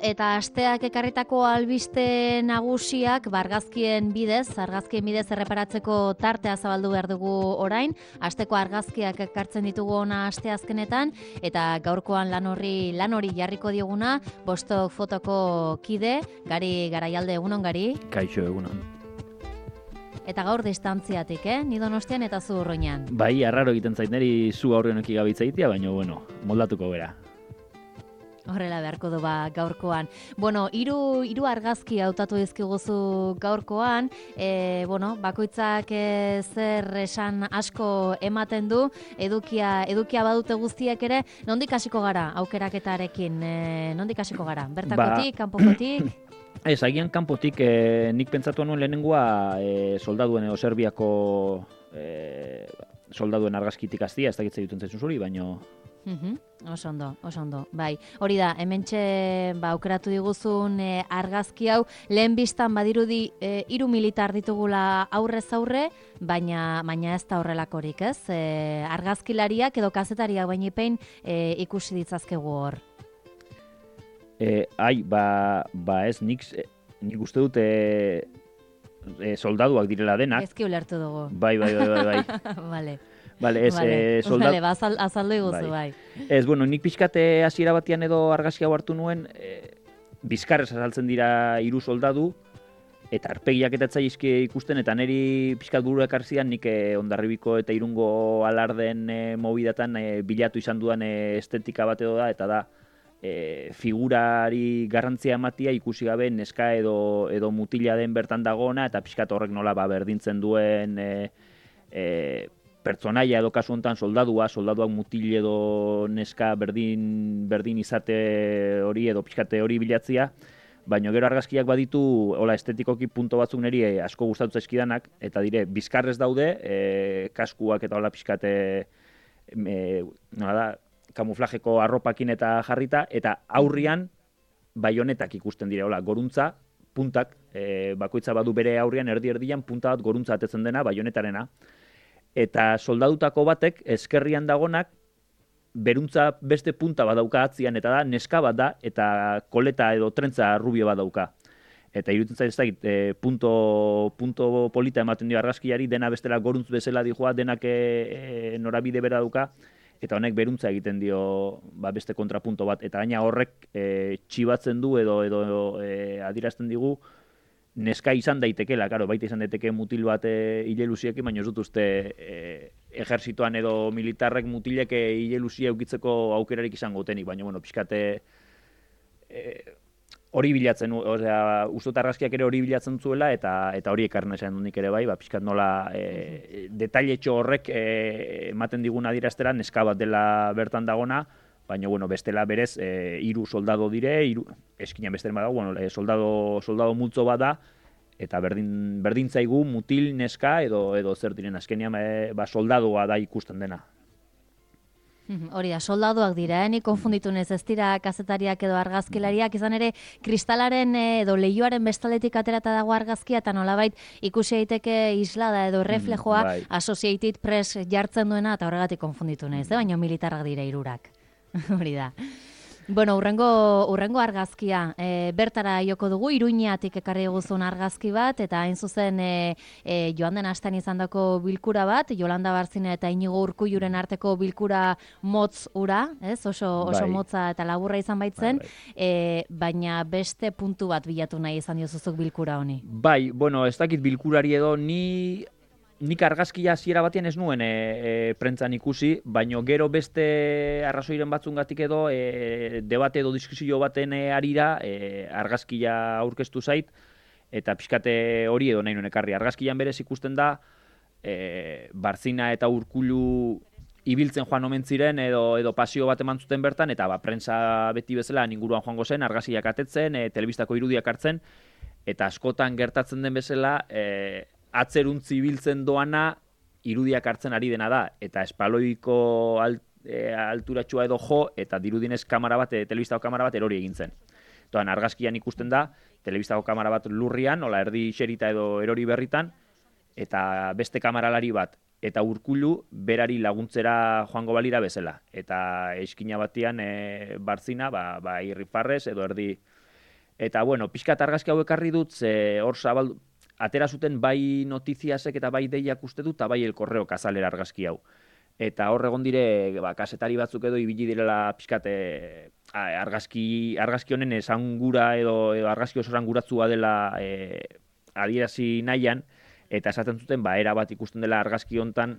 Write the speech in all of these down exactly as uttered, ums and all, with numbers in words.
Eta asteak ekarritako albiste nagusiak argazkien bidez, argazkien bidez erreparatzeko tartea zabaldu behar dugu orain. Asteko argazkiak ekartzen ditugu ona asteazkenetan eta gaurkoan lan horri lan hori jarriko dioguna Bostok fotoko kide, Gari Garaialde, egunon Gari. Kaixo, egunon. Eta gaur distantziatik, eh? Ni Donostian eta zu Urruñan. Bai, arraro egiten zait neri zu aurreneki gabitzaitia, baina bueno, moldatuko bera. Horrela beharko du ba gaurkoan. Bueno, hiru hiru argazki hautatu dizkiguzu gaurkoan, e, bueno, bakoitzak e, zer esan asko ematen du, edukia edukia badute guztiek ere, nondik hasiko gara aukeraketarekin? E, nondik hasiko gara? Bertakotik, ba, kanpokotik? Ez, agian kanpotik e, nik pentsatu nuen lehenengoa e, soldaduen edo Serbiako e, soldaduen argazkitik hastia, ez dakitze duten zaizun zuri, baino Uhum, oso ondo, oso ondo, bai. Hori da, hementxe ba, aukeratu diguzun e, argazki hau, lehen biztan badirudi e, hiru militar ditugula aurrez aurre, baina, baina ez da horrelakorik, ez? E, argazkilariak edo kazetariak bainipein e, ikusi ditzazkegu hor. E, ai, ba, ba ez, nik, nik uste dut e, e, soldaduak direla denak. Ezki ulertu dugu. Bai, bai, bai, bai, bai. Vale. Vale, ez, vale. eh, soldad... vale, ba, azal, azaldu iguzu, bai. bai. Ez, bueno, nik pixkate hasiera batean edo argazki hau hartu nuen, e, bizkarrez azaltzen dira hiru soldadu, eta arpegiak eta etzaizki ikusten, eta niri pixkat buruak arzian nik e, Hondarribiko eta Irungo alarden e, mobidatan e, bilatu izan dudan e, estetika bat edo da, eta da, e, figurari garrantzia ematia ikusi gabe neska edo, edo mutila den bertan dagoena, eta pixkat horrek nola ba, berdintzen duen e, e, pertsonaia edo kasu honetan soldadua, soldaduak mutil edo neska berdin, berdin izate hori edo pixkate hori bilatzia, baina gero argazkiak baditu hola estetikoki punto batzuk niri eh, asko gustatu zaizkidanak, eta dire, bizkarrez daude, eh, kaskuak eta hola pixkate eh, nola da, kamuflajeko arropakin eta jarrita, eta aurrian baionetak ikusten dire, hola, goruntza, puntak, eh, bakoitza badu bere aurrian erdi-erdian punta bat goruntza atetzen dena, baionetarena. Eta soldadutako batek, eskerrian dagonak, beruntza beste punta bat dauka atzian, eta da, neska bat da, eta koleta edo trentza rubio bat dauka. Eta iruditzen zait ez dakit, e, punto, punto polita ematen dio argazkiari, dena bestela goruntz bezala dijoa, denak e, e, norabide bera dauka, eta honek beruntza egiten dio ba, beste kontrapunto bat. Eta gaina horrek e, txibatzen du edo, edo e, adirazten digu, neska izan daitekela, claro, baita izan daiteke mutil bat e, hilelusiekin, baina ez dut uste e, ejerzitoan edo militarrek mutilek hilelusia eukitzeko aukerarik izango tenik, baina, bueno, pixkate e, hori bilatzen, osea, ustot argazkiak ere hori bilatzen zuela, eta eta hori ekarren esan nik ere bai, ba, pixkat nola e, detailetxo horrek e, ematen digun adieraztera neska bat dela bertan dagona, baina, bueno, bestela berez, e, hiru soldado dire, hiru eskinan besteren badago, bueno, e, soldado, soldado multzo bada, eta berdin, berdin zaigu mutil, neska, edo edo zer diren, azkenean e, ba, soldadoa da ikusten dena. Hori da, soldaduak dira, eh? Ni konfunditu nez, ez dira kazetariak edo argazkilariak, izan ere kristalaren edo leioaren bestaletik aterata dago argazkia, eta nolabait ikusi daiteke islada edo reflejoa mm, bai. Associated Press jartzen duena, eta horregatik konfunditu nez, eh? Baina militarrak dira hirurak. Hori da. Bueno, urrengo, urrengo argazkia, e, bertara joko dugu, Iruñatik ekarri guzun argazki bat, eta hain zuzen e, e, joan den astean izandako bilkura bat, Jolanda Barzina eta Inigo Urkulluren arteko bilkura motz ura, ez? Oso, oso bai. motza eta laburra izan baitzen, bai, bai. E, baina beste puntu bat bilatu nahi izan diozuzuk bilkura honi. Bai, bueno, ez dakit bilkurari edo, ni nik argazkia hasiera batean ez nuen e, e, prentzan ikusi, baino gero beste arrazoiren batzungatik edo e, debate edo diskusio baten e, arira e, argazkia aurkeztu zait, eta pixkate hori edo nahi nuen ekarri. Argazkian berez ikusten da, e, Barzina eta Urkullu ibiltzen joan omen ziren edo, edo pasio bat eman zuten bertan, eta ba, prensa beti bezala inguruan joango zen, argazkiak atetzen, e, telebistako irudiak hartzen, eta askotan gertatzen den bezala, e, atzeruntzi biltzen doana irudiak hartzen ari dena da, eta espaloiko alt, e, alturatxua edo jo, eta dirudinez kamera bat, e, telebistako kamera bat erori egin zen. Toan, argazkian ikusten da, telebistako kamera bat lurrian, ola erdi xerita edo erori berritan, eta beste kameralari bat, eta Urkullu berari laguntzera joango balira bezala. Eta eskina batean e, Barzina, ba, ba irrifarrez edo erdi Eta, bueno, pixkat argazki hau ekarri dut, ze hor zabaldu, atera zuten bai notiziasek eta bai deiak uste dut, eta bai el korreo kazalera argazki hau. Eta hor egon dire, ba, kasetari batzuk edo ibili direla pixkat e, argazki, argazki honen esangura edo, edo argazki oso esanguratzua dela e, adierazi nahian, eta esaten zuten, ba, era bat ikusten dela argazki hontan,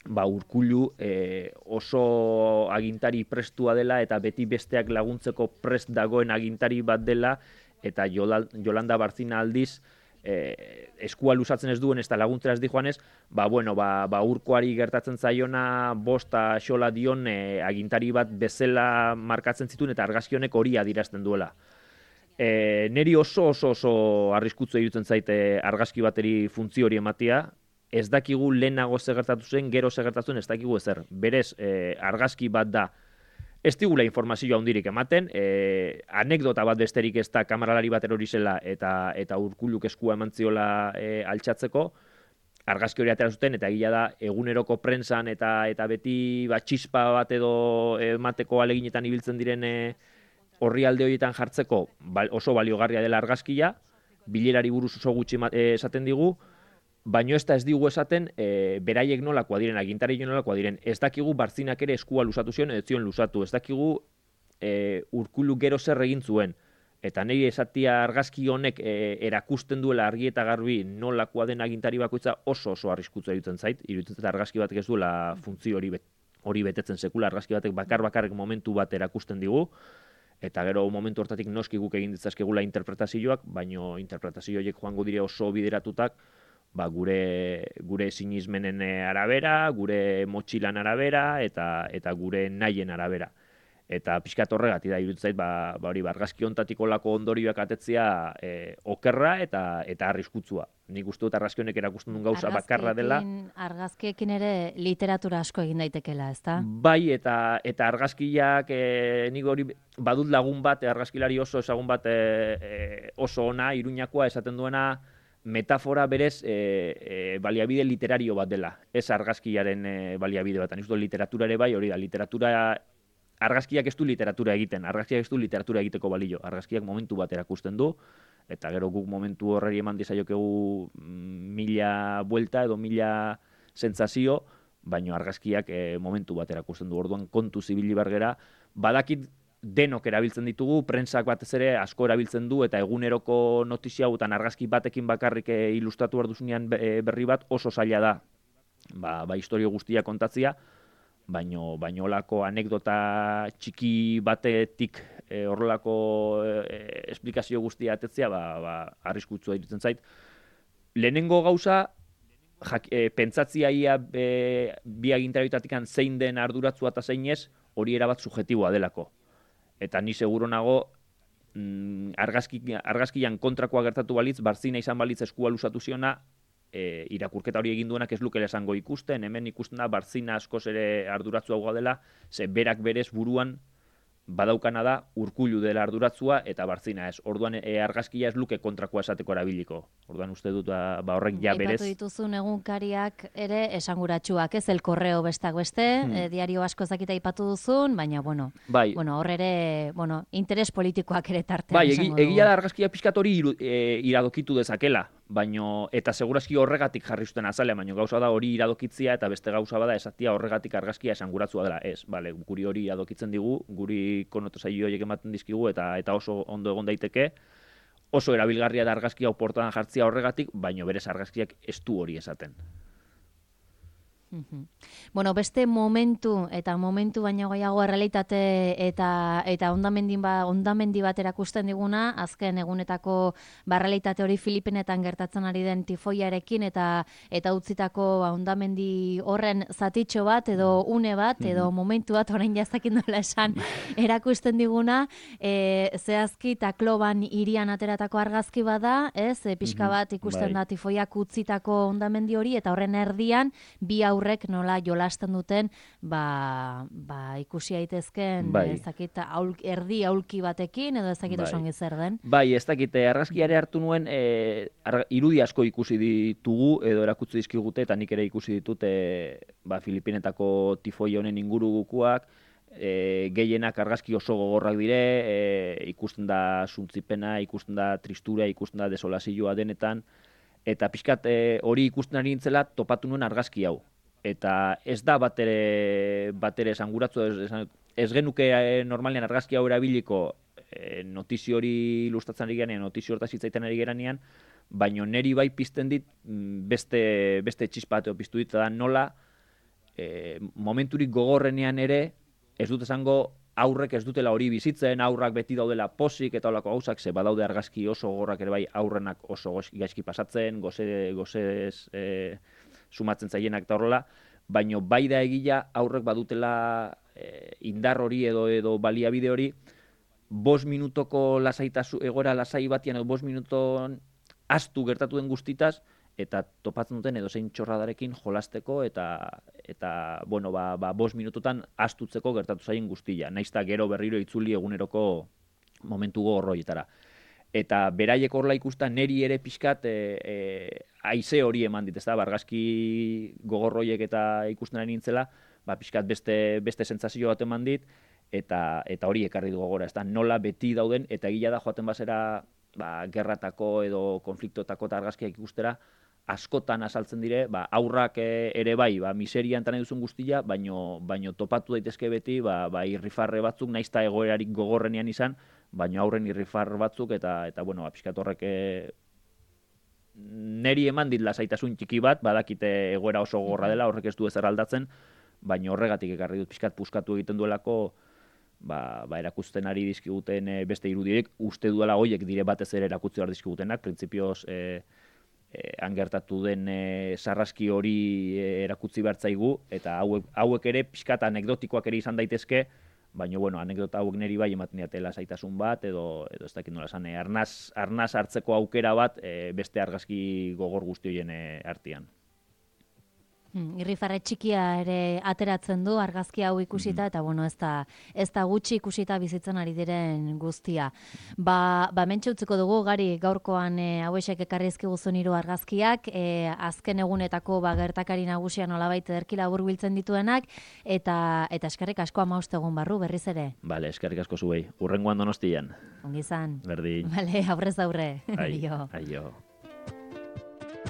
ba, Urkullu e, oso agintari prestua dela eta beti besteak laguntzeko prest dagoen agintari bat dela, eta Yolanda Barcina aldiz, Eh, eskua luzatzen ez duen, ez da laguntzera ez di joanez, ba, bueno, ba, ba Urkoari gertatzen zaiona bosta xola dion eh, agintari bat bezala markatzen zituen eta argazki honek hori adirazten duela. Eh, neri oso oso oso arriskutzu irutzen zaite argazki bateri funtzio hori ematia, ez dakigu lehenago ze gertatu zen, gero ze gertatu zen, ez dakigu ezer. Berez, eh, argazki bat da, ez digula informazioa handirik ematen, e, anekdota bat besterik ez da kameralari bat erori zela eta, eta Urkulluk eskua eman ziola e, altxatzeko, argazki hori atera zuten, eta egia da eguneroko prentsan eta eta beti ba, txispa bat edo emateko aleginetan ibiltzen diren e, orrialde horietan jartzeko oso baliogarria dela argazkia, bilerari buruz oso gutxi esaten digu, baino ez da ez digu esaten e, beraiek nolakoa diren, agintari nolakoa diren. Ez dakigu Barzinak ere eskua lusatu zion, ez zion lusatu. Ez dakigu e, Urkullu gero zer egin zuen. Eta niri esatia argazki honek e, erakusten duela argi eta garbi nolakoa den agintari bakoitza oso oso arriskutzu iruditzen zait. Iruditzen zait argazki batek ez duela funtzio hori, bet, hori betetzen sekula. Argazki batek bakar bakarrik momentu bat erakusten digu. Eta gero momentu hortatik noski guk egin ditzazkegula interpretazioak, baino interpretazio horiek joango dire oso bideratutak, ba, gure gure sinismenen arabera, gure motxilan arabera eta eta gure nahien arabera. Eta pixkat horregatik da iruditzen zait, ba, ba hori argazki hontatik olako ondorioak atetzea e, okerra eta eta arriskutsua. Nik uste dut argazki honek erakusten duen gauza bakarra dela. Argazkiekin ere literatura asko egin daitekela, ezta? Bai, eta eta argazkiak e, nik hori badut lagun bat, argazkilari oso ezagun bat e, e, oso ona, Iruñakoa esaten duena, metafora berez e, e, baliabide literario bat dela, ez argazkiaren e, baliabide bat. Nik uste literatura ere bai, hori da, literatura, argazkiak ez du literatura egiten, argazkiak ez du literatura egiteko balio, argazkiak momentu bat erakusten du, eta gero guk momentu horreri eman dizaiokegu mila buelta edo mila sentsazio, baino argazkiak e, momentu bat erakusten du, orduan kontu zibili bargera, badakit denok erabiltzen ditugu, prentsak batez ere asko erabiltzen du, eta eguneroko notizia hauetan argazki batekin bakarrik ilustratu behar duzunean berri bat oso zaila da, ba, ba historio guztia kontatzia, baino, baino olako anekdota txiki batetik e, horrelako e, esplikazio guztia atetzea, ba, ba, arriskutsua iruditzen zait. Lehenengo gauza, jak, e, pentsatzia ia e, bi agintarioetatik zein den arduratzua eta zein ez, hori erabat subjetiboa delako. Eta ni seguro nago, mm, argazki, argazkian kontrakoa gertatu balitz, Barzina izan balitz eskua lusatu ziona, e, irakurketa hori egin duenak ez lukela esango ikusten, hemen ikusten da Barzina askoz ere arduratzua dela, ze berak berez buruan badaukana da Urkullu dela arduratzua eta Barzina ez. Orduan e, argazkia ez luke kontrakoa esateko erabiliko. Orduan uste dut ba, ba horrek ja berez. Aipatu dituzun egunkariak ere esanguratsuak, ez? El Correo bestak beste, hmm. e, diario asko ezakita aipatu duzun, baina bueno, bai. bueno, hor ere, bueno, interes politikoak ere tartean bai, esango egi, egia da argazkia pixkat hori e, iradokitu dezakela, baino eta segurazki horregatik jarri zuten azalea, baino gauza da hori iradokitzia eta beste gauza bada esatia horregatik argazkia esanguratzua dela. Ez, bale, guri hori iradokitzen digu, guri konotozio horiek ematen dizkigu eta eta oso ondo egon daiteke, oso erabilgarria da argazkia portadan jartzia horregatik, baino berez argazkiak ez du hori esaten. Bueno, beste momentu eta momentu baino gehiago errealitate eta eta hondamendi ba, hondamendi bat erakusten diguna, azken egunetako barrealitate hori Filipinetan gertatzen ari den tifoiarekin eta eta utzitako ba, hondamendi horren zatitxo bat edo une bat edo momentu bat orain jazakin dola esan erakusten diguna, e, zehazki Tacloban hirian ateratako argazki bada, ez, e, pixka bat ikusten da tifoiak utzitako hondamendi hori eta horren erdian bi aurrek nola jolasten duten, ba, ba ikusi daitezken bai. ezakit aul, erdi aulki batekin edo ezakit bai. Oso zer den. Bai, ez dakit argazkiare hartu nuen e, ar, irudi asko ikusi ditugu edo erakutsi dizkigute eta nik ere ikusi ditut e, ba, Filipinetako tifoi honen ingurukoak, e, gehienak argazki oso gogorrak dire, e, ikusten da suntzipena, ikusten da tristura, ikusten da desolazioa denetan, eta pixkat e, hori ikusten ari nintzela topatu nuen argazki hau. Eta ez da batere, batere esanguratzu, ez, ez genuke e, normalean argazki hau erabiliko e, notizio hori ilustratzen ari gerenean, notizio hortaz hitzaiten ari gerenean, baina neri bai pizten dit beste, beste txispateo piztu dit, da nola e, momenturik gogorrenean ere, ez dut esango aurrek ez dutela hori bizitzen, aurrak beti daudela posik eta holako gauzak, ze badaude argazki oso gogorrak ere bai aurrenak oso gaizki pasatzen, goze, gozez e, sumatzen zaienak eta horrela, baina bai da egia aurrek badutela e, indar hori edo edo baliabide hori, bost minutoko lasaitasu, egoera lasai batian edo bost minuton astu gertatu den guztitaz, eta topatzen duten edo zein txorradarekin jolasteko eta, eta bueno, ba, ba, bost minututan astutzeko gertatu zaien guztia. Naizta gero berriro itzuli eguneroko momentu gogorroietara. Eta beraiek horla ikusta neri ere pixkat e, e, haize hori eman dit, ez da, argazki gogorroiek eta ikusten ari nintzela, ba, pixkat beste, beste sentsazio bat eman dit, eta, eta hori ekarri du gogora, ez da, nola beti dauden, eta gila da joaten bazera ba, gerratako edo konfliktotako eta argazkiak ikustera, askotan azaltzen dire, ba, aurrak ere bai, ba, miserian nahi duzun guztia, baino, baino topatu daitezke beti, ba, ba, irrifarre batzuk, naizta egoerarik gogorrenean izan, baino aurren irrifar batzuk, eta, eta bueno, ba, pixkat horrek e, neri eman dit lasaitasun txiki bat, badakite egoera oso gogorra dela, horrek ez du ezer aldatzen, baino horregatik ekarri dut pixkat puskatu egiten duelako, ba, ba erakusten ari dizkiguten e, beste irudiek, uste duela hoiek dire batez ere erakutzi behar dizkigutenak, printzipioz e, e, angertatu den e, sarraski hori e, erakutzi behar zaigu, eta hauek, hauek ere pixkat anekdotikoak ere izan daitezke, baina, bueno, anekdota hauek neri bai ematen diatela zaitasun bat, edo, edo ez dakit nola esan, e, arnaz, arnaz hartzeko aukera bat e, beste argazki gogor guzti horien e, artean. Hmm, irrifarre txikia ere ateratzen du argazki hau ikusita, eta bueno, ez da, ez da gutxi ikusita bizitzen ari diren guztia. Ba, ba mentxe utziko dugu, Gari, gaurkoan e, hauesek ekarri ezkiguzun hiru argazkiak, e, azken egunetako ba, gertakari nagusia nolabait ederki labur biltzen dituenak, eta eta eskerrik asko hamabost egun barru berriz ere. Bale, eskerrik asko zuei. Hurrengoan Donostian. Ongi izan. Berdin. Bale, aurrez aurre. Aio. Aio.